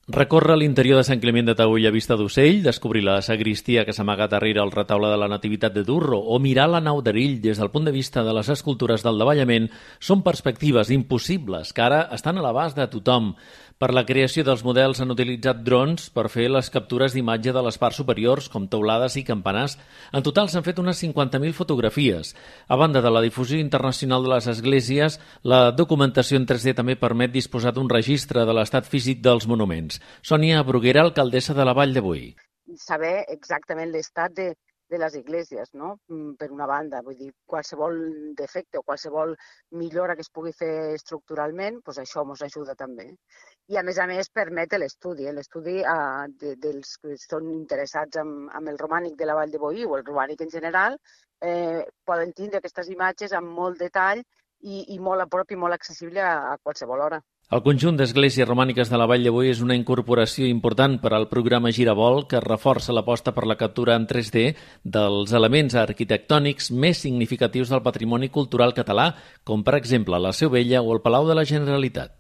Recórrer l'interior de Sant Climent de Taüll a vista d'ocell, descobrir la sagristia que s'amaga darrere el retaule de la Nativitat de Durro o mirar la nau d'Erill des del punt de vista de les escultures del davallament són perspectives impossibles que ara estan a l'abast de tothom. Per la creació dels models han utilitzat drons per fer les captures d'imatge de les parts superiors, com teulades i campanars. En total s'han fet unes 50.000 fotografies. A banda de la difusió internacional de les esglésies, la documentació en 3D també permet disposar d'un registre de l'estat físic dels monuments. Sònia Bruguera, alcaldessa de la Vall de Boí. Saber exactament l'estat de les esglésies, no? Per una banda, vull dir, qualsevol defecte o qualsevol millora que es pugui fer estructuralment, doncs això ens ajuda també. I a més permet l'estudi dels que són interessats amb el romànic de la Vall de Boí o el romànic en general, poden tindre aquestes imatges amb molt detall i molt a prop i molt accessible a qualsevol hora. El conjunt d'esglésies romàniques de la Vall de Boí és una incorporació important per al programa Giravolt que reforça l'aposta per la captura en 3D dels elements arquitectònics més significatius del patrimoni cultural català, com per exemple la Seu Vella o el Palau de la Generalitat.